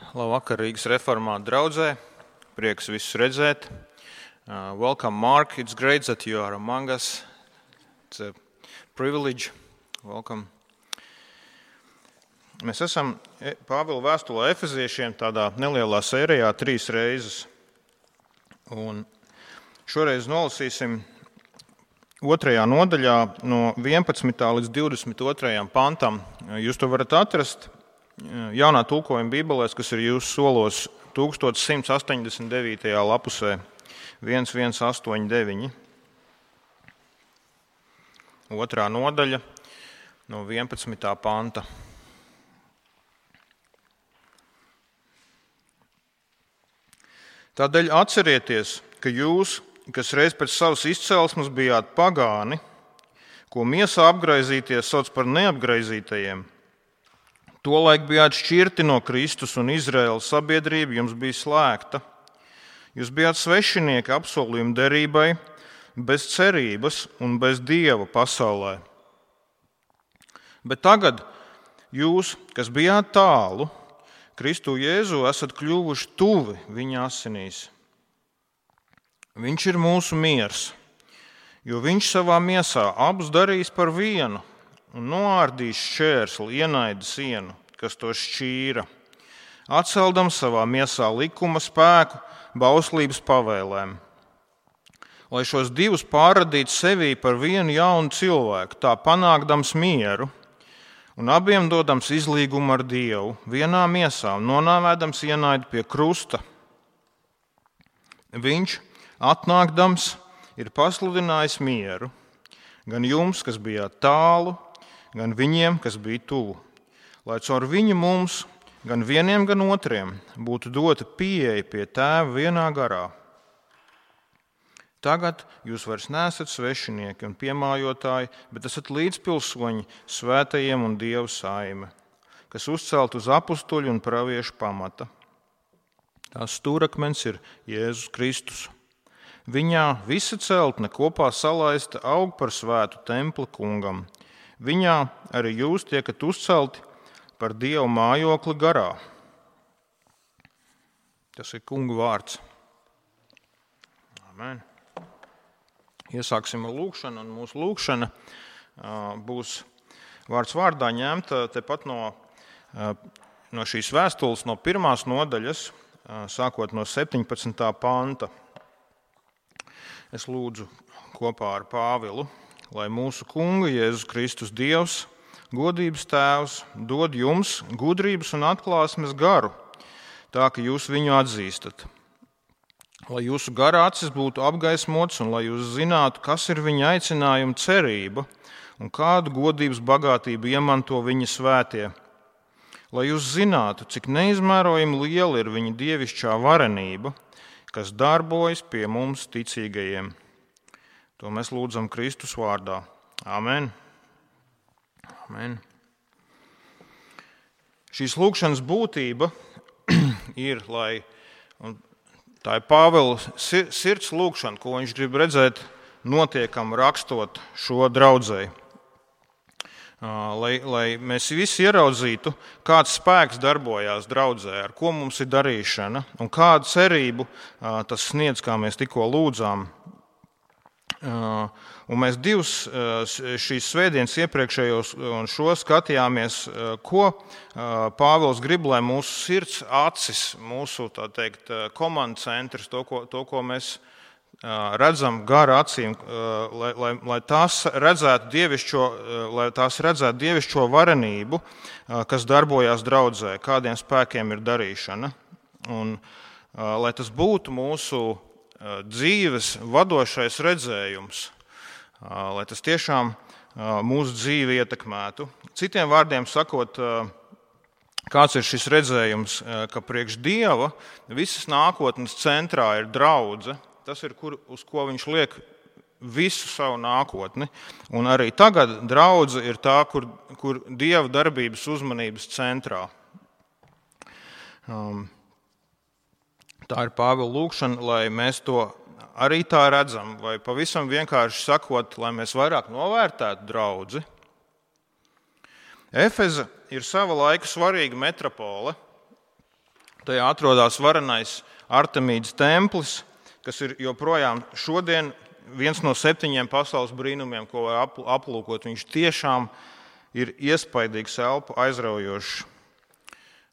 Labvakar Rīgas reformātu draudzē. Prieks visus redzēt. Welcome, Mark. It's great that you are among us. It's a privilege. Welcome. Mēs esam Pāvila vēstulē Efeziešiem tādā nelielā sērijā 3 reizes. Un šoreiz nolasīsim 2. nodaļā no 11. līdz 22. pantam. Jūs to varat atrast jaunā tulkojuma bībelēs, kas ir jūsu solos 1189. lapusē 1189. 2. nodaļa no 11. panta. Tādēļ atcerieties, ka jūs, kas reiz pēc savas izcelsmes bijāt pagāni, ko miesā apgraizīties sauc par neapgraizītajiem, tolaik bijāt šķirti no Kristus un Izraēlas sabiedrība jums bija slēgta. Jūs bijāt svešinieki apsolījuma derībai, bez cerības un bez Dieva pasaulē. Bet tagad jūs, kas bijāt tālu, Kristu Jēzu esat kļuvuši tuvi viņa asinīs. Viņš ir mūsu miers, jo viņš savā miesā abus darīs par vienu un noārdīs šķērsli ienaida sienu, kas to šķīra, atceldams savā miesā likuma spēku bauslības pavēlēm. Lai šos divus pārradītu sevī par vienu jaunu cilvēku, tā panākdams mieru un abiem dodams izlīgumu ar Dievu, vienā miesā un nonāvēdams ienaidu pie krusta. Viņš, atnākdams, ir pasludinājis mieru, gan jums, kas bijāt tālu, gan viņiem, kas bija tuvu, lai caur viņu mums, gan vieniem, gan otriem, būtu dota pieeja pie Tēva vienā garā. Tagad jūs vairs neesat svešinieki un piemājotāji, bet esat līdzpilsoņi svētajiem un Dieva saime, kas uzcelt uz apustuļu un praviešu pamata. Tās stūrakmens ir Jēzus Kristus. Viņā visa celtne kopā salaista aug par svētu templi kungam. Viņā arī jūs tiekat uzcelti par Dieva mājokli garā. Tas ir kunga vārds. Amen. Iesāksim ar lūgšanu, un mūsu lūgšana būs vārds vārdā ņemta tepat no šīs vēstules, no 1. nodaļas, sākot no 17. panta. Es lūdzu kopā ar Pāvilu, lai mūsu kunga Jēzus Kristus Dievs, godības Tēvs, dod jums gudrības un atklāsmes garu, tā ka jūs viņu atzīstat. Lai jūsu gara acis būtu apgaismots un lai jūs zinātu, kas ir viņa aicinājuma cerība un kādu godības bagātību iemanto viņa svētie. Lai jūs zinātu, cik neizmērojami liela ir viņa dievišķā varenība, kas darbojas pie mums ticīgajiem. To mēs lūdzam Kristus vārdā. Amen. Amen. Šīs lūgšanas būtība ir, tā ir Pāvila sirds lūgšana, ko viņš grib redzēt notiekam rakstot šo draudzei. Lai mēs visi ieraudzītu, kāds spēks darbojās draudzē, ar ko mums ir darīšana un kādu cerību tas sniedz, kā mēs tikko lūdzām. Un mēs divus šīs svētdienas iepriekšējos un šo skatījāmies, ko Pāvils grib, lai mūsu sirds acis, mūsu, tā teikt, komandu centrs, to, ko mēs redzam gara acīm, lai tās redzētu dievišķo varenību, kas darbojās draudzē, kādiem spēkiem ir darīšana. Un lai tas būtu mūsu dzīves vadošais redzējums, lai tas tiešām mūsu dzīvi ietekmētu. Citiem vārdiem sakot, kāds ir šis redzējums, ka priekš Dieva visas nākotnes centrā ir draudze. Tas ir, uz ko viņš liek visu savu nākotni. Un arī tagad draudze ir tā, kur Dieva darbības uzmanības centrā. Tā ir Pāvila lūgšana, lai mēs to arī tā redzam, vai pavisam vienkārši sakot, lai mēs vairāk novērtētu draudzi. Efeze ir sava laika svarīga metropole, Tajā atrodas varenais Artemīdas templis, kas ir joprojām šodien viens no 7 pasaules brīnumiem, ko var aplūkot. Viņš tiešām ir iespaidīgs, elpu aizraujošs.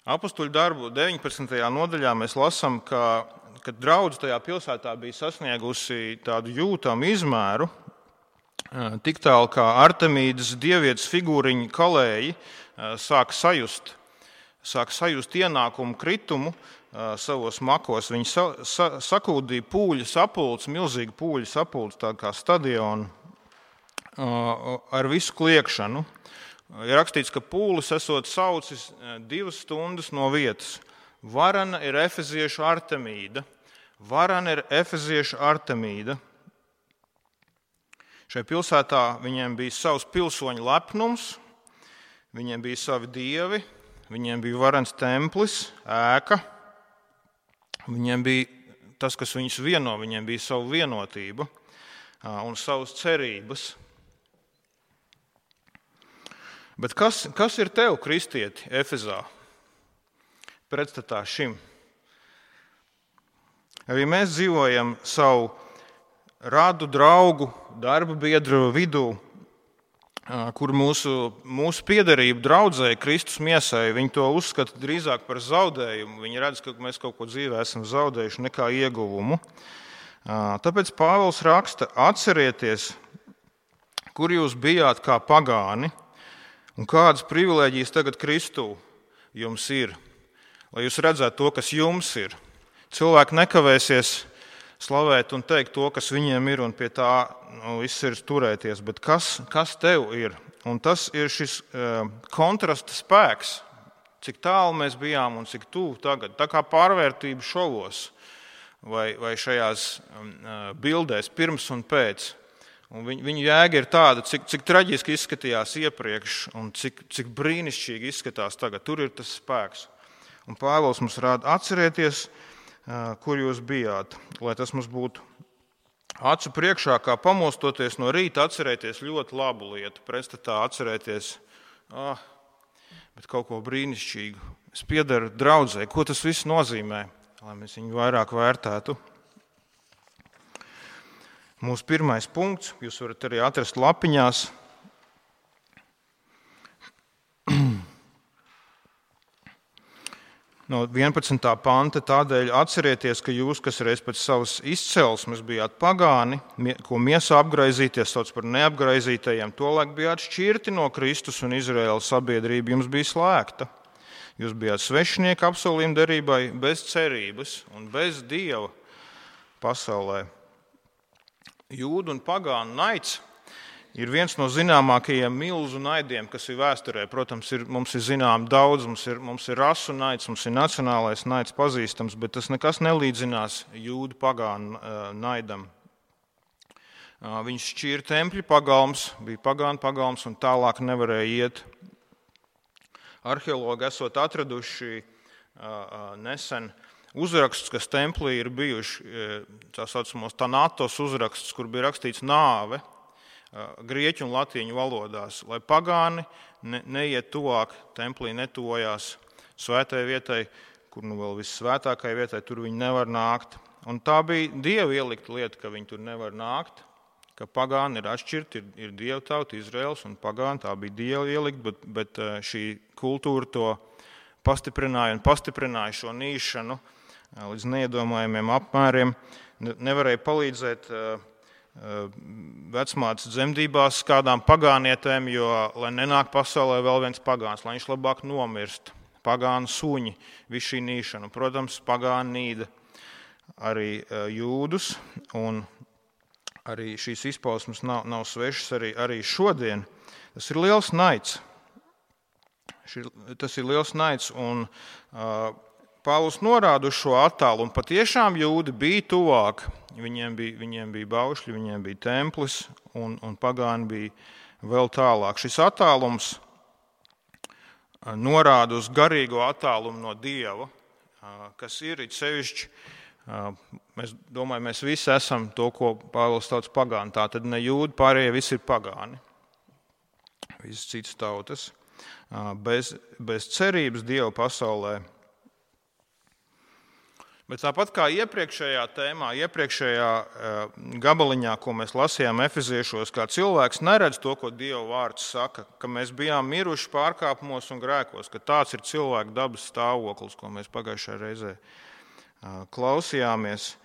Apostuļu darbu 19. nodaļā mēs lasām, ka draudze tajā pilsētā bija sasniegusi tādu jūtamu izmēru, tik tālu, kā Artemīdas dievietes figūriņu kalēji sāk sajust ienākumu kritumu savos makos. Viņi sakūdīja pūļu sapulci, milzīgu pūļu sapulci, tā kā stadionu, ar visu kliekšanu. Ir rakstīts, ka pūlis esot saucis 2 stundas no vietas. Varana ir efeziešu Artemīda. Varana ir efeziešu Artemīda. Šai pilsētā viņiem bija savs pilsoņu lepnums, viņiem bija savi dievi, viņiem bija varens templis, ēka. Viņiem bija tas, kas viņus vieno, viņiem bija savu vienotību un savas cerības. Bet kas ir tev, kristieti, Efezā, pretstatā šim? Arī mēs dzīvojam savu radu, draugu, darba biedru vidū, kur mūsu piederība draudzēji, Kristus miesai, viņi to uzskata drīzāk par zaudējumu. Viņi redz, ka mēs kaut ko dzīvē esam zaudējuši nekā ieguvumu. Tāpēc Pāvils raksta: atcerieties, kur jūs bijāt kā pagāni, un kādas privilēģijas tagad Kristū jums ir, lai jūs redzētu to, kas jums ir. Cilvēki nekavēsies slavēt un teikt to, kas viņiem ir, un pie tā viss ir turēties, bet kas tev ir? Un tas ir šis kontrasta spēks, cik tālu mēs bijām un cik tuvu tagad. Tā kā pārvērtība šovos vai šajās bildēs pirms un pēc. Un viņu jēga ir tāda, cik traģiski izskatījās iepriekš un cik brīnišķīgi izskatās tagad. Tur ir tas spēks. Un Pāvils mums rāda: atcerieties, kur jūs bijāt, lai tas mums būtu acu priekšā, kā pamostoties no rīta, atcerēties ļoti labu lietu, pretstatā atcerēties, bet kaut ko brīnišķīgu. Es piederu draudzē. Ko tas viss nozīmē, lai mēs viņu vairāk vērtētu? Mūsu pirmais punkts, jūs varat arī atrast lapiņās. No 11. panta: tādēļ atcerieties, ka jūs, kas reiz pēc savas izcelsmes bijāt pagāni, ko miesā apgraizīties sauc par neapgraizītajiem, tolaik bijāt šķirti no Kristus un Izraēlas sabiedrība jums bija slēgta. Jūs bijāt svešinieki apsolījuma derībai, bez cerības un bez Dieva pasaulē. Jūdu un pagānu naids ir viens no zināmākajiem milzu naidiem, kas ir vēsturē. Protams, mums ir zinām daudz, mums ir rasu naids, mums ir nacionālais naids pazīstams, bet tas nekas nelīdzinās jūdu pagānu naidam. Viņš šķīra tempļu pagalms, bija pagānu pagalms un tālāk nevarēja iet. Arheologi esot atraduši nesen uzrakstus, kas templī ir bijuši, tā saucamos Tanatos uzrakstus, kur bija rakstīts nāve grieķu un latīņu valodās, lai pagāni neiet tuvāk, templī netuvojās svētai vietai, kur vēl vissvētākai vietai, tur viņi nevar nākt. Un tā bija Dieva ielikta lieta, ka viņi tur nevar nākt, ka pagāni ir atšķirti, ir Dieva tauta, Izraels un pagāni, tā bija Dieva ielikta, bet šī kultūra to pastiprināja šo nīšanu līdz neiedomājumiem apmēriem. Nevarēja palīdzēt vecmātes dzemdībās kādām pagānietēm, jo, lai nenāk pasaulē vēl viens pagāns, lai viņš labāk nomirst. Pagānu suņi, visu šī nīšana. Protams, pagāni nīda arī jūdus, un arī šīs izpausmes nav svešas arī šodien. Tas ir liels naids. Tas ir liels naids, un Pāvils norāda uz šo attālu, un patiešām jūdi bija tuvāk. Viņiem bija baušļi, viņiem bija templis, un pagāni bija vēl tālāk. Šis attālums norāda uz garīgo attālumu no Dieva, kas ir sevišķi. Mēs visi esam to, ko Pāvils sauc pagāni. Tā tad ne jūdi, pārējie visi ir pagāni. Visas citas tautas. Bez cerības Dieva pasaulē. Bet tāpat kā iepriekšējā tēmā, iepriekšējā gabaliņā, ko mēs lasījām Efeziešos, kā cilvēks neredz to, ko Dieva vārds saka, ka mēs bijām miruši pārkāpumos un grēkos, ka tāds ir cilvēka dabas stāvoklis, ko mēs pagājušajā reizē klausījāmies.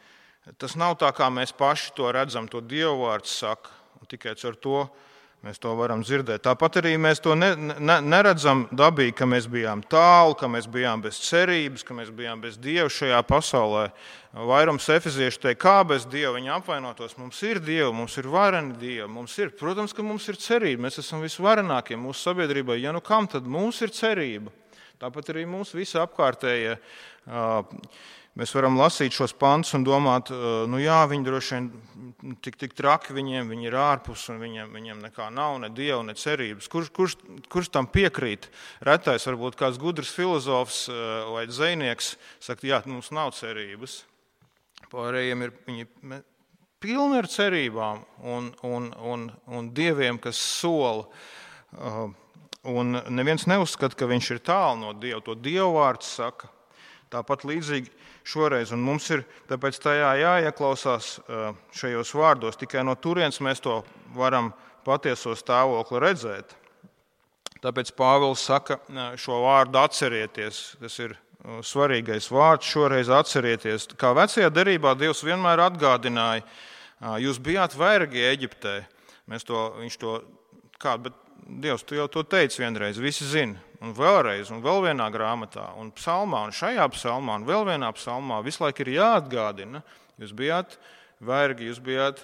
Tas nav tā, kā mēs paši to redzam, to Dieva vārds saka, un tikai ar to mēs to varam dzirdēt. Tāpat arī mēs to neredzam dabīgi, ka mēs bijām tālu, ka mēs bijām bez cerības, ka mēs bijām bez Dieva šajā pasaulē. Vairums efeziešu teikt, kā bez Dieva viņi apvainotos. Mums ir Dieva, mums ir vareni Dievi. Protams, ka mums ir cerība. Mēs esam visvarenākie mūsu sabiedrībai. Ja nu kam, tad mums ir cerība. Tāpat arī mums visi apkārtējie. Mēs varam lasīt šos pantus un domāt, viņi droši vien tik traki viņi ir ārpus un viņiem nekā nav, ne Dieva, ne cerības. Kurš tam piekrīt? Retais varbūt kāds gudrs filozofs vai dzejnieks saka, jā, mums nav cerības. Pārējiem viņi pilni ar cerībām un dieviem, kas sola. Un neviens neuzskata, ka viņš ir tālu no Dieva. To Dieva vārds saka. Tāpat līdzīgi šoreiz, un mums ir tāpēc tajā jāieklausās šajos vārdos, tikai no turienes mēs to varam patieso stāvokli redzēt. Tāpēc Pāvils saka šo vārdu atcerieties, tas ir svarīgais vārds šoreiz atcerieties. Kā vecajā derībā Dievs vienmēr atgādināja, jūs bijāt vergi Eģiptē, bet Dievs, tu jau to teici vienreiz, visi zina. Un vēlreiz, un vēl vienā grāmatā, un psalmā, un šajā psalmā, un vēl vienā psalmā visu laiku ir jāatgādina. Jūs bijāt vergi, jūs bijāt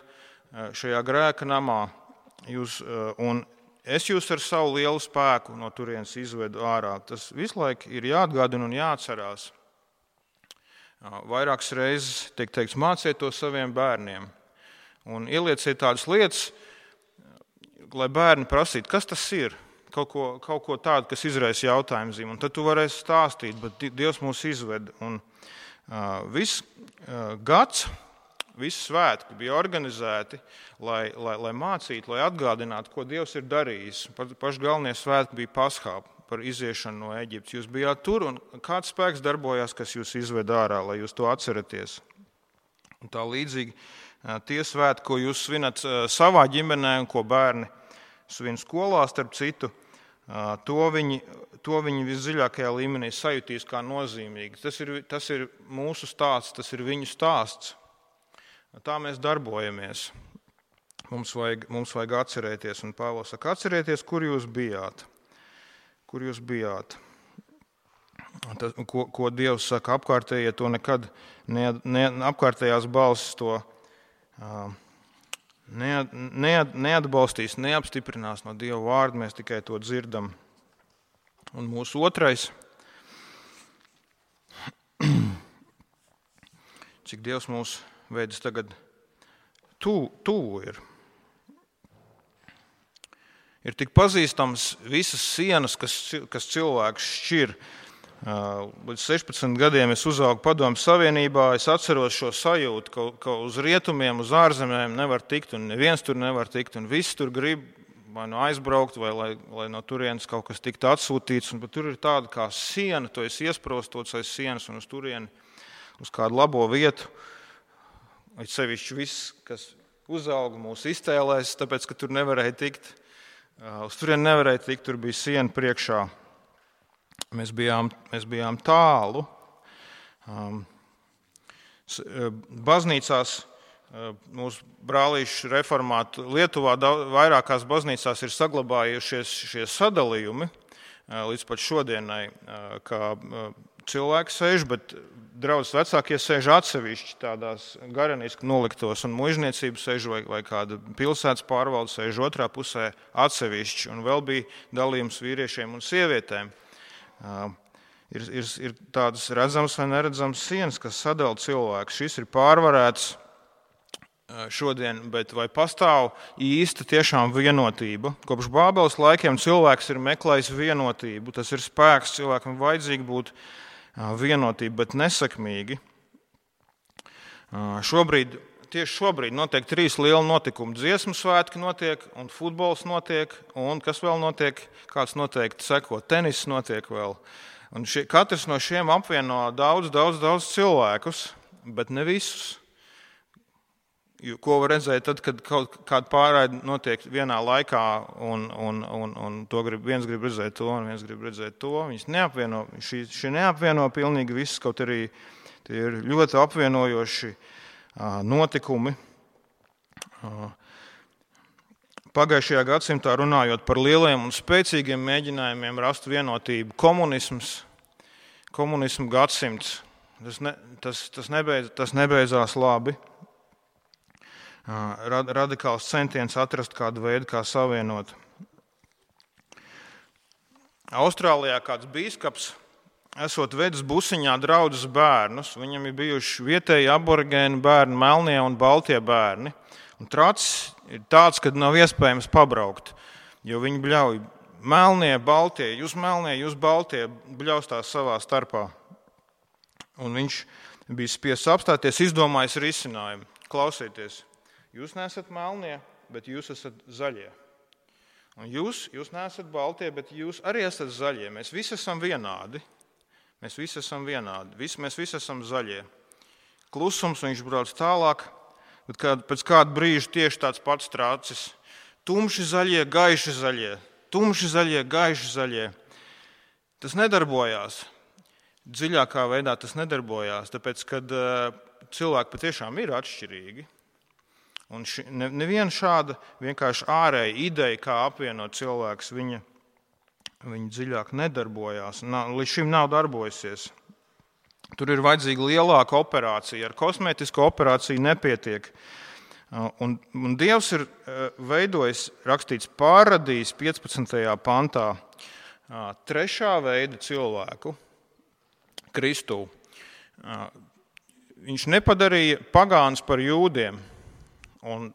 šajā grēka namā, un es jūs ar savu lielu spēku no turienes izvedu ārā. Tas visu laiku ir jāatgādina un jāatcerās. Vairākas reizes tiek teikts, māciet to saviem bērniem. Un ielieciet tādas lietas, lai bērni prasītu, kas tas ir. Kaut ko tādu, kas izraisa jautājumu zīmi. Un tad tu varēsi stāstīt, bet Dievs mūs izved. Un viss gads, visi svētki bija organizēti, lai mācītu, lai atgādinātu, ko Dievs ir darījis. Paši galvenie svētki bija Paskā par iziešanu no Eģiptes. Jūs bijāt tur, un kāds spēks darbojās, kas jūs izved ārā, lai jūs to atceraties. Un tā līdzīgi tie svētki, ko jūs svinat savā ģimenē un ko bērni svin skolā, starp citu, to viņi visdziļākajā līmenī sajutīs kā nozīmīgi. Tas ir mūsu stāsts, tas ir viņu stāsts. Tā mēs darbojamies. Mums vajag atcerēties, un Pāvils saka, atcerieties, kur jūs bijāt. Kur jūs bijāt. Ko Dievs saka, apkārtējie to nekad, apkārtējās balsis to neatbalstīs, neapstiprinās no Dieva vārda, mēs tikai to dzirdam. Un mūsu otrais, cik Dievs mūs veids tagad tuvu ir. Ir tik pazīstams visas sienas, kas cilvēks šķir. Līdz 16 gadiem es uzaugu Padomju Savienībā, es atceros šo sajūtu, ka uz rietumiem, uz ārzemēm nevar tikt, un neviens tur nevar tikt, un visi tur grib vai nu aizbraukt, vai lai no turienes kaut kas tiktu atsūtīts, un tur ir tāda kā siena, to es iesprostots aiz sienas un uz turieni, uz kādu labo vietu, vai sevišķi viss, kas uzauga mūs iztēlēs, tāpēc, ka tur nevarēja tikt, uz turieni nevarēja tikt, tur bija siena priekšā. Mēs bijām tālu. Baznīcās, mūsu brālīšu reformātu Lietuvā vairākās baznīcās ir saglabājušies šie sadalījumi līdz pat šodienai, kā cilvēki sēž, bet draudzes vecākie sēž atsevišķi tādās gareniski noliktos, un muižniecība sēž vai kāda pilsētas pārvalde sēž otrā pusē atsevišķi, un vēl bija dalījums vīriešiem un sievietēm. Ir tādas redzamas vai neredzamas sienas, kas sadala cilvēku. Šis ir pārvarēts šodien, bet vai pastāv īsta tiešām vienotība? Kopš Bābeles laikiem cilvēks ir meklējis vienotību. Tas ir spēks, cilvēkam vajadzīgi būt vienotība, bet nesakmīgi. Tieši šobrīd notiek 3 lieli notikumi. Dziesmu svētki notiek, un futbols notiek, un kas vēl notiek? Kāds noteikti seko, tenis notiek vēl. Un katrs no šiem apvieno daudz cilvēkus, bet ne visus. Ko var redzēt tad, kad kaut kāda pārraide notiek vienā laikā, un viens grib redzēt to, un viens grib redzēt to. Viņas neapvieno, šī neapvieno pilnīgi visus, kaut arī tie ir ļoti apvienojoši notikumi. Pagājušajā gadsimtā runājot par lieliem un spēcīgiem mēģinājumiem rast vienotību, komunismu gadsimts, tas nebeidzās labi. Radikāls centiens atrast kādu veidu, kā savienot. Austrālijā kāds bīskaps esot vedis busiņā draudzes bērnus. Viņam ir bijuši vietēji aborigēni bērni, melnie un baltie bērni. Un tracis ir tāds, ka nav iespējams pabraukt, jo viņi bļauj melnie, baltie, jūs baltie, bļaustās savā starpā. Un viņš bija spiests apstāties, izdomājis risinājumu. Klausieties! Jūs neesat melnie, bet jūs esat zaļie. Un jūs neesat baltie, bet jūs arī esat zaļie. Mēs visi esam vienādi. Mēs visi esam zaļie. Klusums, viņš brauc tālāk, bet pēc kāda brīža tieši tāds pats tracis. Tumši zaļie, gaiši zaļie. Tumši zaļie, gaiši zaļie. Tas nedarbojās. Dziļākā veidā tas nedarbojās, tāpēc, kad cilvēki patiešām ir atšķirīgi. Un neviena šāda vienkārši ārēja ideja, kā apvienot cilvēkus, viņa dziļāk nedarbojās. Līdz šim nav darbojusies. Tur ir vajadzīga lielāka operācija. Ar kosmētisku operāciju nepietiek. Un Dievs ir veidojis, rakstīts, pārradījis 15. pantā trešā veida cilvēku, Kristu. Viņš nepadarīja pagānus par jūdiem. Un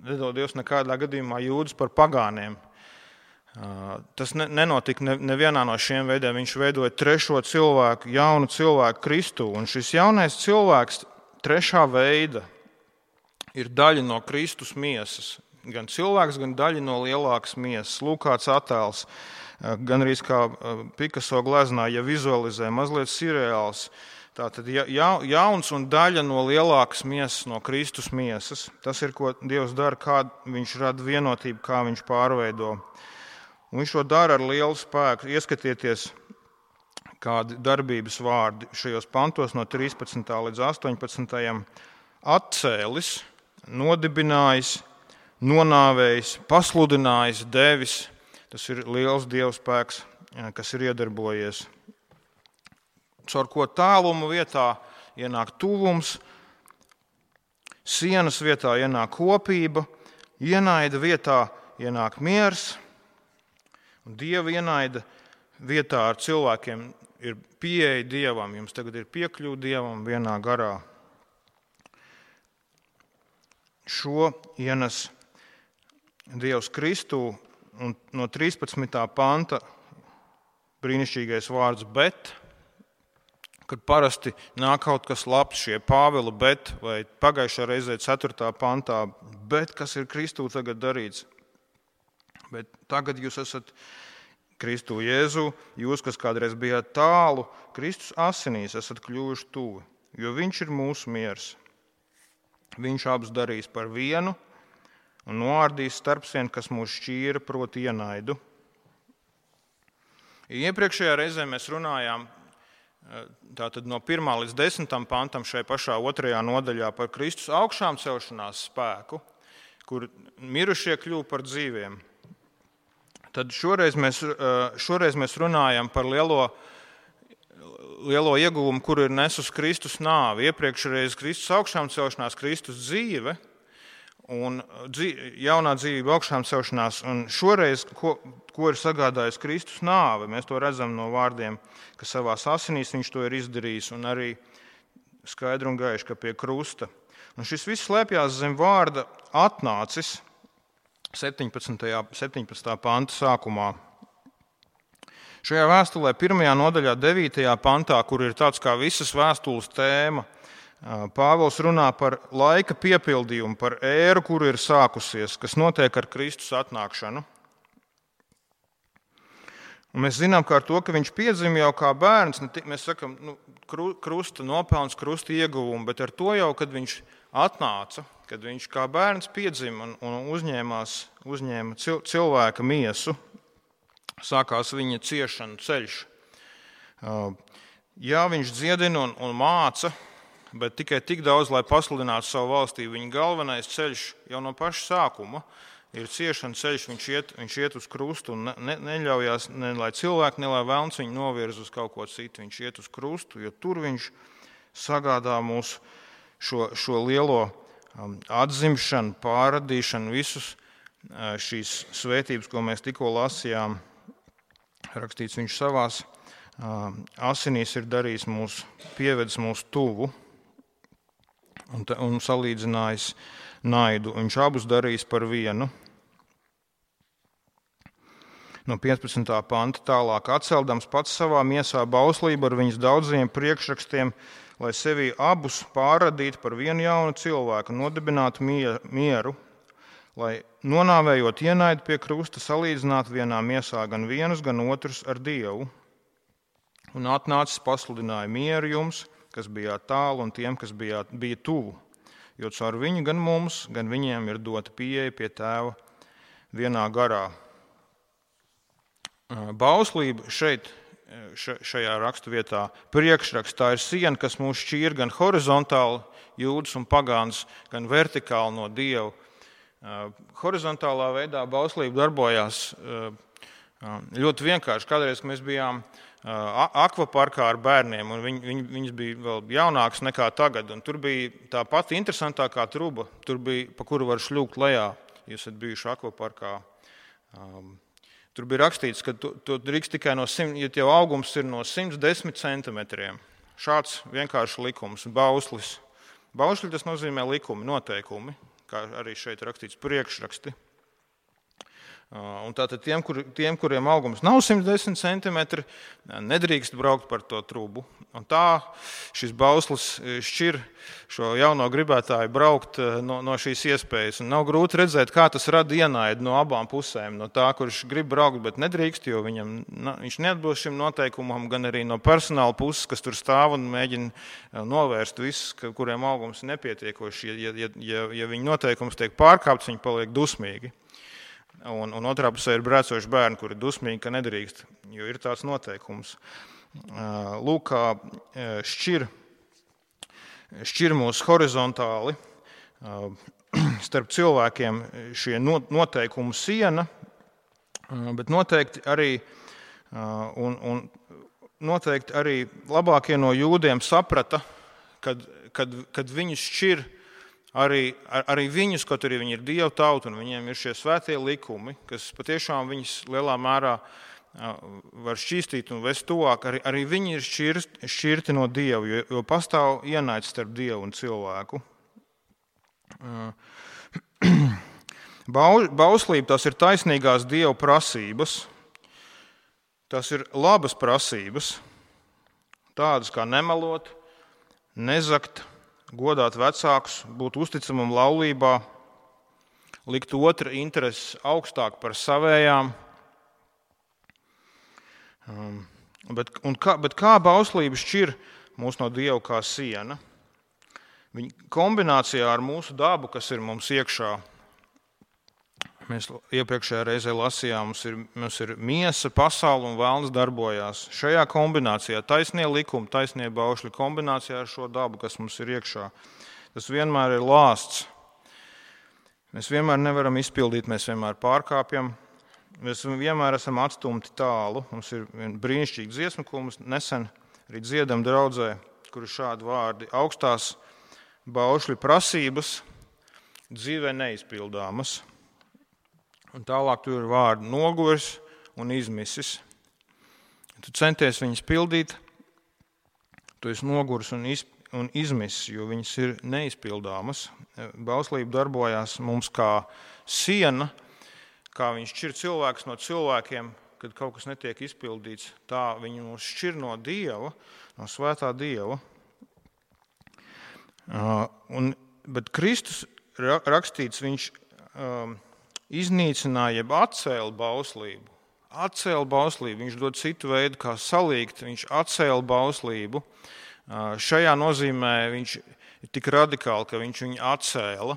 nedod Dievs nekādā gadījumā jūdus par pagāniem. Tas nenotika nevienā no šiem veidiem. Viņš veidoja trešo cilvēku, jaunu cilvēku Kristu. Un šis jaunais cilvēks, trešā veida, ir daļa no Kristus miesas. Gan cilvēks, gan daļa no lielākas miesas. Lūk, kāds attēls, gan arī kā Picasso gleznā, ja vizualizē, mazliet sirreāls. Tātad jauns un daļa no lielākas miesas, no Kristus miesas. Tas ir, ko Dievs dara, kā viņš rada vienotību, kā viņš pārveido. Un viņš to dara ar lielu spēku. Ieskatieties, kādi darbības vārdi šajos pantos no 13. līdz 18. Atcēlis, nodibinājis, nonāvējis, pasludinājis, devis. Tas ir liels Dieva spēks, kas ir iedarbojies. Caur ko tālumu vietā ienāk tuvums, sienas vietā ienāk kopība, ienaida vietā ienāk miers, un Dieva ienaida vietā ar cilvēkiem ir pieeja Dievam. Jums tagad ir piekļuva Dievam vienā garā. Šo ienes Dievs Kristū, un no 13. panta brīnišķīgais vārds bet, kad parasti nāk kaut kas labs, šie Pāvila bet, vai pagājušā reizē 4. pantā, bet kas ir Kristū tagad darīts? Bet tagad jūs esat Kristu Jēzu, jūs, kas kādreiz bijāt tālu, Kristus asinīs esat kļuvuši tuvi, jo viņš ir mūsu miers. Viņš abus darīs par vienu un noārdīs starpsienu, kas mūs šķīra, proti ienaidu. Iepriekšējā reizē mēs runājām tātad no 1. līdz 10. pantam šai pašā 2. nodaļā par Kristus augšām celšanās spēku, kur mirušie kļuva par dzīviem. Tad šoreiz mēs runājam par lielo ieguvumu, kuru ir nesus Kristus nāvi. Iepriekšreiz Kristus augšām celšanās, Kristus dzīve un jaunā dzīvība augšām celšanās. Un šoreiz, ko ir sagādājis Kristus nāve, mēs to redzam no vārdiem, ka savās asinīs viņš to ir izdarījis, un arī skaidri un gaiši, ka pie krusta. Un šis viss slēpjās zem vārda atnācis 17. panta sākumā. Šajā vēstulē 1. nodaļā 9. pantā, kur ir tāds kā visas vēstules tēma, Pāvils runā par laika piepildījumu, par ēru, kuru ir sākusies, kas notiek ar Kristus atnākšanu. Un mēs zinām, ka ar to, ka viņš piedzima jau kā bērns, mēs sakam, krusta nopelns, krusta ieguvumi, bet ar to jau, kad viņš atnāca, kad viņš kā bērns piedzima un uzņēma cilvēka miesu, sākās viņa ciešanu ceļš. Jā, viņš dziedina un māca, bet tikai tik daudz, lai pasludinātu savu valstību. Viņa galvenais ceļš jau no paša sākuma ir ciešana ceļš, viņš iet uz krustu un neļaujās, ne lai cilvēki, ne lai velns viņu novirz uz kaut ko citu. Viņš iet uz krustu, jo tur viņš sagādā mūs šo lielo atzimšanu, pārradīšanu, visus šīs svētības, ko mēs tikko lasījām. Rakstīts, viņš savās asinīs ir darījis pievedis mūs tuvu un salīdzinājis naidu. Viņš abus darījis par vienu. No 15. panta tālāk. Atceldams pats savā miesā bauslību ar viņas daudziem priekšrakstiem, lai sevī abus pārradītu par vienu jaunu cilvēku, nodibinātu mieru, lai nonāvējot ienaidu pie krusta, salīdzinātu vienā miesā gan vienus, gan otrus ar Dievu. Un atnācis pasludināja mieru jums, kas bijāt tālu, un tiem, kas bija tuvu, jo caur viņu gan mums, gan viņiem ir dota pieeja pie Tēva vienā garā. Bauslība šajā raksturvietā priekšrakstā ir siena, kas mūs šķīra gan horizontāli, jūdas un pagāns, gan vertikāli no Dieva. Horizontālā veidā bauslība darbojās ļoti vienkārši. Kādreiz, kad mēs bijām akvaparkā ar bērniem, un viņas bija vēl jaunākas nekā tagad, un tur bija tā pati interesantākā truba, tur bija, pa kuru var šļūkt lejā, jūs esat bijuši akvaparkā. Tur bija rakstīts, ka tu drīkst tikai ja tev augums ir no 110 centimetriem. Šāds vienkārši likums, bauslis. Bausli tas nozīmē likumi, noteikumi, kā arī šeit rakstīts priekšraksti. Un tātad tiem, kuriem augums nav 110 centimetri, nedrīkst braukt par to trubu. Un tā šis bauslis šķir šo jauno gribētāju braukt no šīs iespējas. Un nav grūti redzēt, kā tas rada ienaidu no abām pusēm. No tā, kurš grib braukt, bet nedrīkst, jo viņš neatbilst šim noteikumam, gan arī no personāla puses, kas tur stāv un mēģina novērst visus, kuriem augums ir nepietiekoši. Ja viņa noteikums tiek pārkāpts, viņi paliek dusmīgi. Un otrā pusē ir brēcoši bērni, kuri ir dusmīgi, ka nedrīkst, jo ir tāds noteikums. Lūk, kā šķir mūs horizontāli starp cilvēkiem šie noteikumu siena, bet noteikti arī labākie no jūdiem saprata, kad viņus šķir arī viņus, kaut arī viņi ir Dieva tauta un viņiem ir šie svētie likumi, kas patiešām viņus lielā mērā var šķīstīt un vest tuvāk, arī viņi ir šķirti no Dieva, jo pastāv ienaids starp Dievu un cilvēku. Bauslība, tas ir taisnīgās Dieva prasības, tas ir labas prasības, tādas kā nemelot, nezakt, godāt vecākus, būt uzticamam laulībā, likt otra intereses augstāk par savējām. Bet kā bauslība šķir mūs no Dieva kā siena? Viņa kombinācijā ar mūsu dabu, kas ir mums iekšā. Mēs iepriekšējā reizē lasījām, mums ir miesa, pasaule un vēlns darbojās. Šajā kombinācijā, taisnie likumi, taisnie baušļi kombinācijā ar šo dabu, kas mums ir iekšā, tas vienmēr ir lāsts. Mēs vienmēr nevaram izpildīt, mēs vienmēr pārkāpjam, mēs vienmēr esam atstumti tālu. Mums ir brīnišķīgi dziesma, ko mums nesen arī dziedam draudzē, kur ir šādi vārdi: augstās baušļu prasības dzīvē neizpildāmas. Un tālāk tur ir vārdi noguris un izmisis. Tu centies viņus pildīt, tu esi noguris un izmisis, jo viņas ir neizpildāmas. Bauslība darbojās mums kā siena, kā viņš šķir cilvēkus no cilvēkiem, kad kaut kas netiek izpildīts. Tā viņi mūs šķir no Dieva, no svētā Dieva. Bet Kristus rakstīts, viņš iznīcināja, jeb atcēla bauslību. atcēla bauslību, viņš dod citu veidu, kā salīgt, viņš atcēla bauslību. Šajā nozīmē viņš ir tik radikāli, ka viņš viņu atcēla.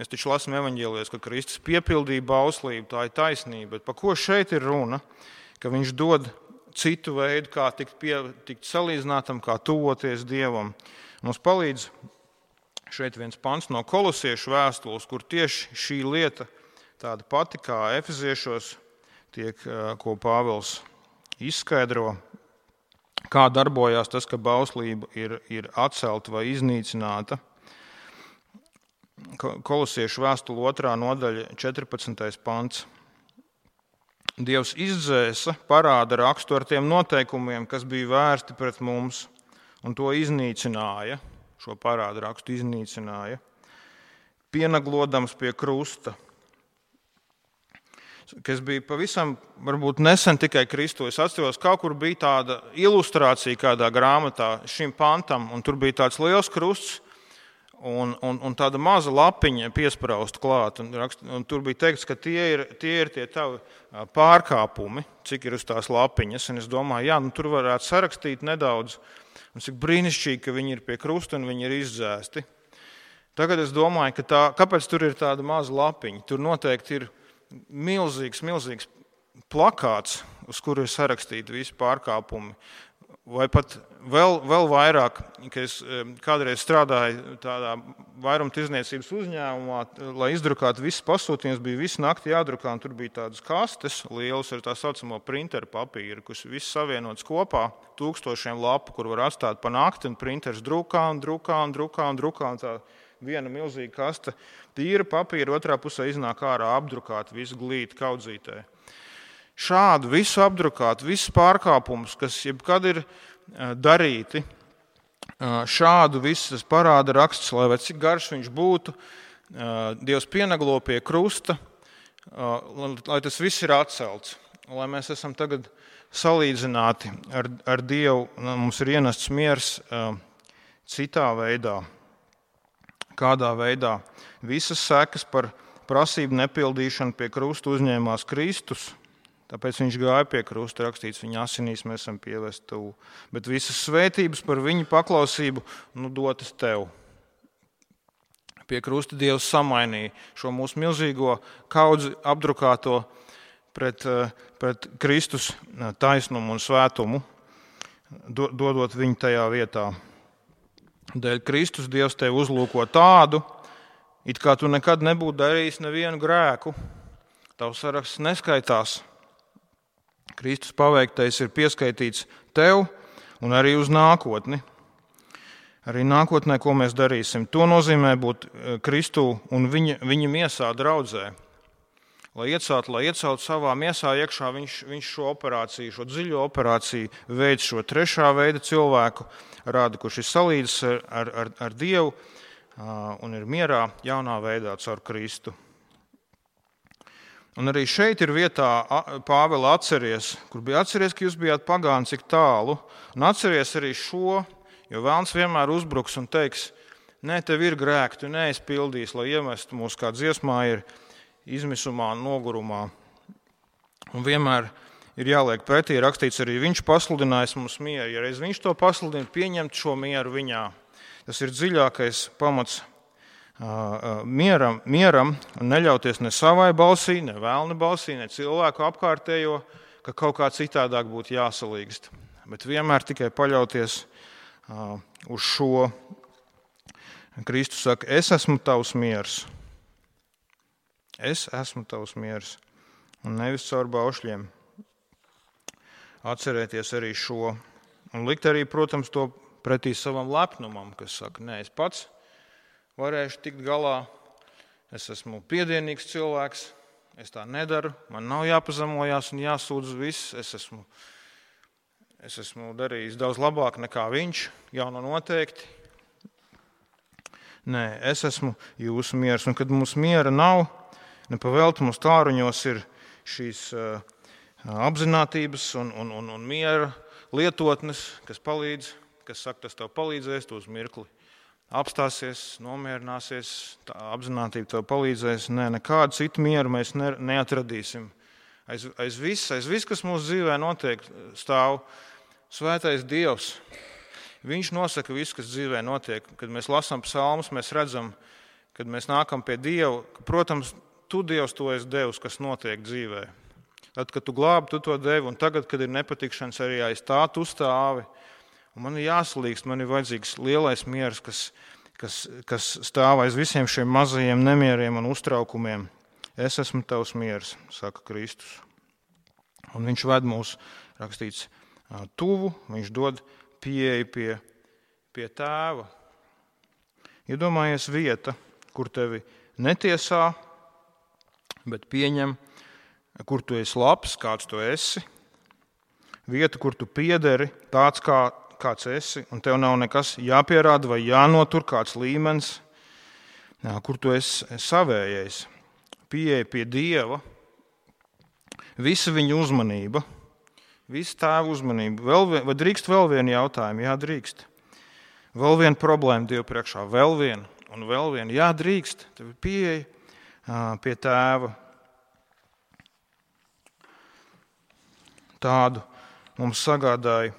Mēs taču lasām evaņģēlijos, ka Kristus piepildīja bauslību, tā ir taisnība, bet par ko šeit ir runa? Ka viņš dod citu veidu, kā tikt salīdzinātam, kā tuvoties Dievam. Mums palīdz šeit viens pants no Kolosiešu vēstules, kur tieši šī lieta tāda pati kā Efeziešos ko Pāvils izskaidro, kā darbojās tas, ka bauslība ir atcelta vai iznīcināta. Kolosiešu vēstule 2. nodaļa 14. pants. Dievs izdzēsa parāda rakstu ar tiem noteikumiem, kas bija vērsti pret mums, un to iznīcināja, šo parāda rakstu iznīcināja, pienaglodams pie krusta, kas bija pavisam, varbūt nesen tikai Kristu. Es atceros, kaut kur bija tāda ilustrācija kādā grāmatā šim pantam, un tur bija tāds liels krusts un tāda maza lapiņa piesprausta klāt. Un tur bija teikts, ka tie ir tie tavi pārkāpumi, cik ir uz tās lapiņas. Un es domāju, tur varētu sarakstīt nedaudz, un cik brīnišķīgi, ka viņi ir pie krusta un viņi ir izdzēsti. Tagad es domāju, kāpēc tur ir tāda maza lapiņa? Tur noteikti ir milzīgs plakāts, uz kuru ir sarakstīti visi pārkāpumi. Vai pat vēl vairāk, ka es kādreiz strādāju tādā vairumtirdzniecības uzņēmumā, lai izdrukātu visas pasūtījumus, bija visu nakti jādrukā, un tur bija tādas kastes lielas ar tā saucamo printeru papīru, kas viss savienots kopā, 1000 lapu, kur var atstāt pa nakti, un printers drukā, un tā viena milzīga kaste tīra papīra, otrā pusē iznāk ārā apdrukāt visu glīti kaudzītē. Šādu visu apdrukāt, visus pārkāpumus, kas jebkad ir darīti, šādu visas parāda raksts, lai vai cik garš viņš būtu, Dievs pienaglo pie krusta, lai tas viss ir atcelts, lai mēs esam tagad salīdzināti ar Dievu, mums ir ienests miers citā veidā. Kādā veidā visas sekas par prasību nepildīšanu pie krusta uzņēmās Kristus, tāpēc viņš gāja pie krusta, rakstīts, viņa asinīs mēs esam pievesti tuvu. Bet visas svētības par viņa paklausību dotas tev. Pie krusta Dievs samainīja šo mūsu milzīgo kaudzi apdrukāto pret Kristus taisnumu un svētumu, dodot viņu tajā vietā. Dēļ Kristus Dievs tevi uzlūko tādu, it kā tu nekad nebūtu darījis nevienu grēku. Tavs saraksts neskaitās. Kristus paveiktais ir pieskaitīts tev un arī uz nākotni. Arī nākotnē, ko mēs darīsim. To nozīmē būt Kristu un viņa miesā draudzē. Lai ieceltu savā miesā iekšā, viņš šo operāciju, šo dziļo operāciju veids šo trešā veida cilvēku rāda, kurš ir salīdzis ar Dievu un ir mierā jaunā veidā caur Kristu. Un arī šeit ir vietā Pāvela atceries, kur bija atceries, ka jūs bijāt pagāni cik tālu, un atceries arī šo, jo vēlns vienmēr uzbruks un teiks, nē, tev ir grēki, tu neesi pildījis, lai iemestu mūs kā dziesmā ir izmisumā un nogurumā. Un vienmēr ir jāliek pretī, rakstīts arī, viņš pasludinājis mums mieru. Ja reiz viņš to pasludina, pieņemt šo mieru viņā. Tas ir dziļākais pamats mieram un neļauties ne savai balsī, ne vēlna balsī, ne cilvēku apkārtējo, ka kaut kā citādāk būtu jāsalīgst. Bet vienmēr tikai paļauties uz šo. Kristus saka, es esmu tavs miers. Es esmu tavs miers, un nevis caur baušļiem. Atcerēties arī šo, un likt arī, protams, to pretī savam lepnumam, kas saka, nē, es pats varēšu tikt galā, es esmu piedienīgs cilvēks, es tā nedaru, man nav jāpazemojās un jāsūdz viss, es esmu darījis daudz labāk nekā viņš, jau noteikti. Nē, es esmu jūsu miers, un kad mums miera nav, nepavēlti mums tāruņos ir šīs apzinātības un miera lietotnes, kas palīdz, kas saka, tas tev palīdzēs, tu uz mirkli apstāsies, nomierināsies, tā apzinātība tev palīdzēs. Nē, nekādu citu mieru mēs neatradīsim Aiz viss, kas mūsu dzīvē notiek, stāv svētais Dievs. Viņš nosaka visu, kas dzīvē notiek. Kad mēs lasām psalmus, mēs redzam, kad mēs nākam pie Dieva, ka, protams, tu, Dievs, to esi devis, kas notiek dzīvē. Tad, kad tu glābi, tu to devi, un tagad, kad ir nepatikšanas, arī aiz tā tu stāvi. Un man ir jāsalīgst, man ir vajadzīgs lielais miers, kas stāv aiz visiem šiem mazajiem nemieriem un uztraukumiem. Es esmu tavs miers, saka Kristus. Un viņš ved mūs, rakstīts, tuvu, viņš dod pieeju pie tēva. Iedomājies vieta, kur tevi netiesā, bet pieņem, kur tu esi labs, kāds tu esi. Vieta, kur tu piederi, tāds kāds esi, un tev nav nekas jāpierāda vai jānotur kāds līmenis, kur tu esi savējais. Pieeja pie Dieva, visa viņa uzmanība, visa tēva uzmanība. Vai drīkst vēl vienu jautājumu? Jā, drīkst. Vēl viena problēma Dievu priekšā, vēl viena un vēl viena. Jā, drīkst. Tev ir pieeja pie tēva. Tādu mums sagādāja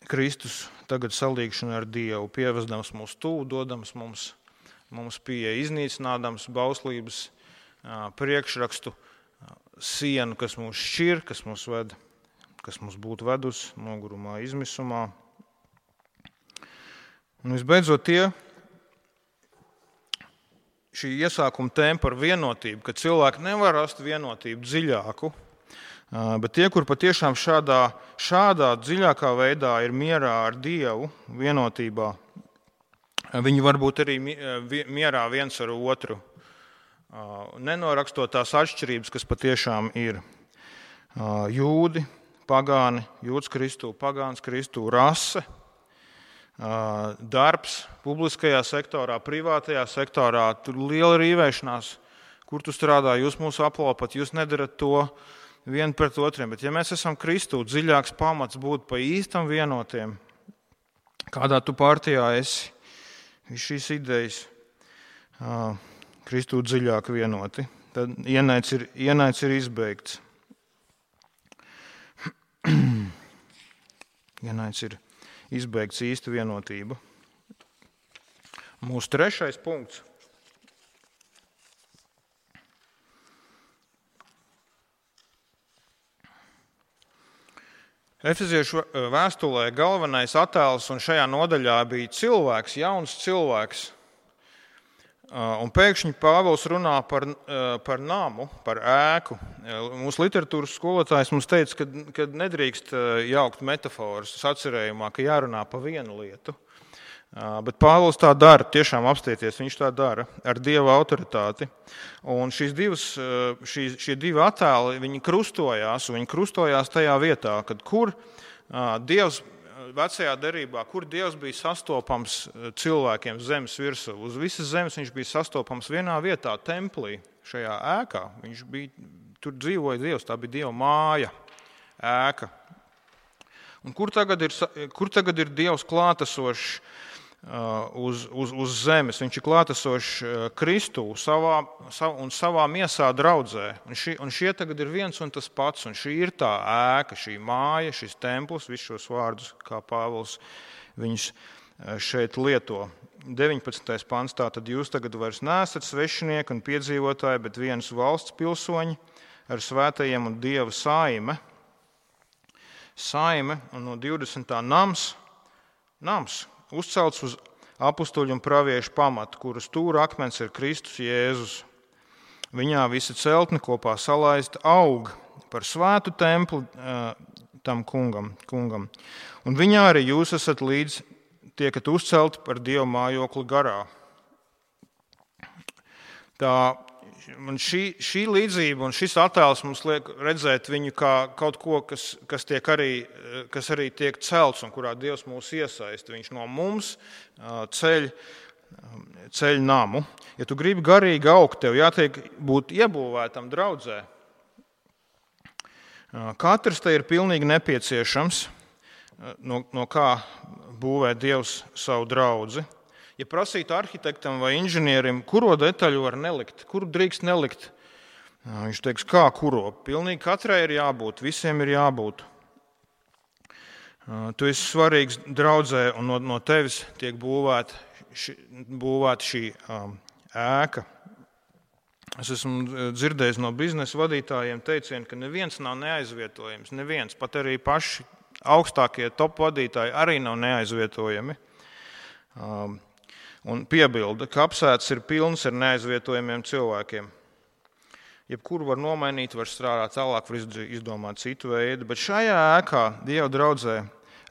Kristus tagad salīgšana ar Dievu, pievesdams mūs tuvu, dodams mums pieeja, iznīcinādams bauslības priekšrakstu sienu, kas mūs šķir, kas mūs būtu vedus nogurumā, izmisumā. Un visbeidzot šī iesākuma tēma par vienotību, ka cilvēki nevar rast vienotību dziļāku, bet tie, kur patiešām šādā dziļākā veidā ir mierā ar Dievu, vienotībā, viņi var būt arī mierā viens ar otru, nenorakstot tās atšķirības, kas patiešām ir jūdi, pagāni, jūds Kristū, pagāns Kristū, rase, darbs publiskajā sektorā, privātajā sektorā, tur liela rīvēšanās, kur tu strādā, jūs mūs aplaupat, jūs nedarat to vien pret otriem, bet ja mēs esam Kristū, dziļāks pamats būt pa īstam vienotiem, kādā tu partijā esi, viss šīs idejas, Kristū dziļāk vienoti, tad ienaids ir izbeigts. Ienaids ir izbeigts īsta vienotība. Mūsu trešais punkts. Efeziešu vēstulē galvenais attēls un šajā nodaļā bija cilvēks, jauns cilvēks. Un pēkšņi Pāvils runā par namu, par ēku. Mūsu literatūras skolotājs mums teica, ka nedrīkst jaukt metaforas sacerējumā, ka jārunā pa vienu lietu. Bet Pāvils tā dara, tiešām apstieties, viņš tā dara ar Dieva autoritāti. Un šie divi attēli, viņi krustojās tajā vietā, kad kur Dievs vecajā derībā, kur Dievs bija sastopams cilvēkiem zemes virsū. Uz visas zemes viņš bija sastopams vienā vietā, templī, šajā ēkā. Tur dzīvoja Dievs, tā bija Dieva māja, ēka. Un kur tagad ir Dievs klātesošs uz zemes? Viņš ir klātesošs Kristū un savā miesā draudzē. Un šie tagad ir viens un tas pats. Un šī ir tā ēka, šī māja, šis templis, visus šos vārdus, kā Pāvils viņus šeit lieto. 19. pants. Tātad jūs tagad vairs neesat svešinieki un piedzīvotāji, bet vienas valsts pilsoņi ar svētajiem un Dieva saime. Saime un no 20. nams. Uzcelts uz apustuļu un praviešu pamatu, kura stūra akmens ir Kristus Jēzus. Viņā visa celtne kopā salaista aug par svētu templi tam kungam. Un viņā arī jūs esat līdz tiekat uzcelti par Dieva mājokli garā. Šī līdzība un šis attēls mums liek redzēt viņu kā kaut ko, kas arī tiek celts un kurā Dievs mūs iesaista. Viņš no mums ceļ namu. Ja tu gribi garīgi augt, tev jātiek būt iebūvētam draudzē. Katrs te ir pilnīgi nepieciešams, no kā būvē Dievs savu draudzi. Ja prasītu arhitektam vai inženierim, kuro detaļu var nelikt, kuru drīkst nelikt Viņš teiks, kā kuro. Pilnīgi katrai ir jābūt, visiem ir jābūt. Tu esi svarīgs draudzē, un no tevis tiek būvēta šī ēka. Es esmu dzirdējis no biznesa vadītājiem teicienu, ka neviens nav neaizvietojams. Neviens, pat arī paši augstākie top vadītāji arī nav neaizvietojami. Un piebilda, ka apsēdis ir pilns ar neaizvietojamiem cilvēkiem. Jebkuru var nomainīt, var strādāt tālāk, var izdomāt citu veidu, bet šajā ēkā, Dieva draudzē,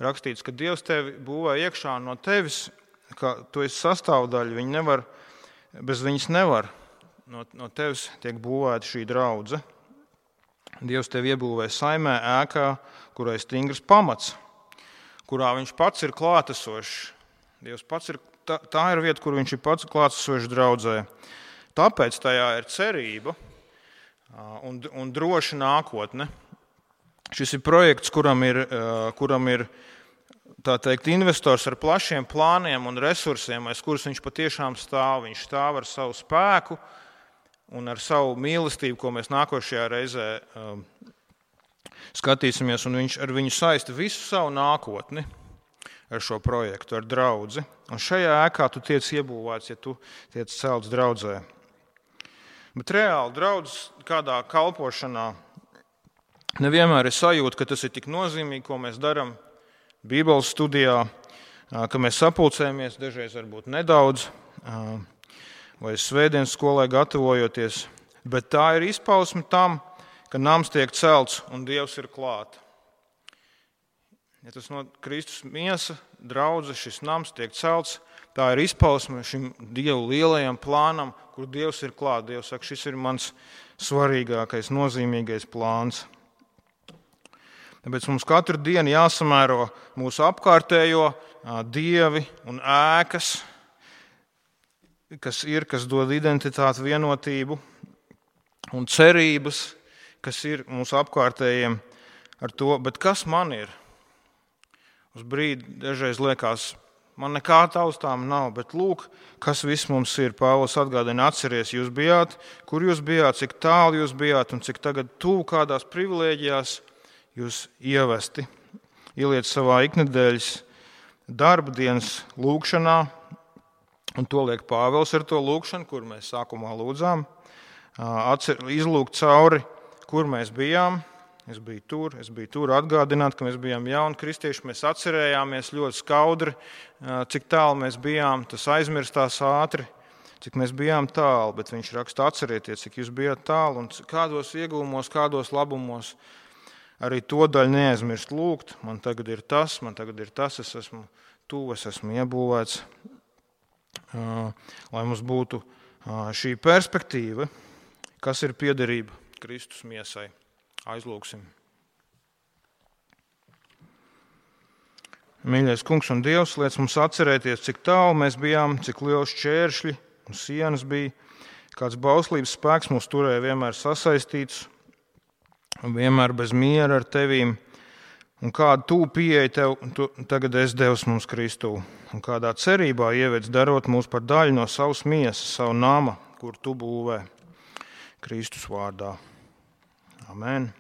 rakstīts, ka Dievs tevi būvē iekšā no tevis, ka tu esi sastāvdaļa, bez viņas nevar. No tevis tiek būvēta šī draudze. Dievs tevi iebūvē saimē ēkā, kurai stingrs pamats, kurā viņš pats ir klātesošs. Dievs pats ir, tā ir vieta, kur viņš ir pats klātesošs draudzē. Tāpēc tajā ir cerība un droša nākotne. Šis ir projekts, kuram ir tā teikt, investors ar plašiem plāniem un resursiem, aiz kurus viņš patiešām stāv. Viņš stāv ar savu spēku un ar savu mīlestību, ko mēs nākošajā reizē skatīsimies, un viņš ar viņu saista visu savu nākotni ar šo projektu, ar draudzi. Un šajā ēkā tu tiec iebūvēts, ja tu tiec celts draudzē. Bet reāli draudzes kādā kalpošanā nevienmēr ir sajūta, ka tas ir tik nozīmīgi, ko mēs darām Bībeles studijā, ka mēs sapulcējamies, dažreiz varbūt nedaudz, vai svētdienas skolai gatavojoties. Bet tā ir izpausme tam, ka nams tiek celts un Dievs ir klāt. Ja tas no Kristus miesa, draudze, šis nams tiek celts, tā ir izpausme šim Dievu lielajam plānam, kur Dievs ir klāt. Dievs saka, šis ir mans svarīgākais, nozīmīgais plāns. Tāpēc mums katru dienu jāsamēro mūsu apkārtējo dievi un ēkas, kas dod identitāti, vienotību un cerības, kas ir mūsu apkārtējiem ar to. Bet kas man ir? Uz brīdi dažreiz liekas, man nekā taustām nav, bet lūk, kas viss mums ir. Pāvils atgādina, atceries, jūs bijāt, kur jūs bijāt, cik tālu jūs bijāt un cik tagad tuvu kādās privilēģijās jūs ievesti. Ieliec savā iknedēļas darba dienas lūgšanā, un to liek Pāvils ar to lūgšanu, kur mēs sākumā lūdzām. Izlūgt cauri, kur mēs bijām. Es biju tur, atgādināt, ka mēs bijām jauni kristieši, mēs atcerējāmies ļoti skaudri, cik tālu mēs bijām, tas aizmirstās ātri, cik mēs bijām tālu, bet viņš raksta, atcerieties, cik jūs bijāt tālu un kādos iegūmos, kādos labumos. Arī to daļu neaizmirst lūgt, man tagad ir tas, es esmu tuvu, es esmu iebūvēts, lai mums būtu šī perspektīva, kas ir piederība Kristus miesai. Aizlūgsim. Mīļais Kungs un Dievs, liec mums atcerēties, cik tālu mēs bijām, cik liels šķēršļi un sienas bija, kāds bauslības spēks mūs turēja vienmēr sasaistīts un vienmēr bez miera ar Tevīm, un kādu tū pieeja Tev tagad esi devis mums Kristū, un kādā cerībā ievēc darot mūs par daļu no savas miesas, savu nama, kur Tu būvē Kristus vārdā. Amen.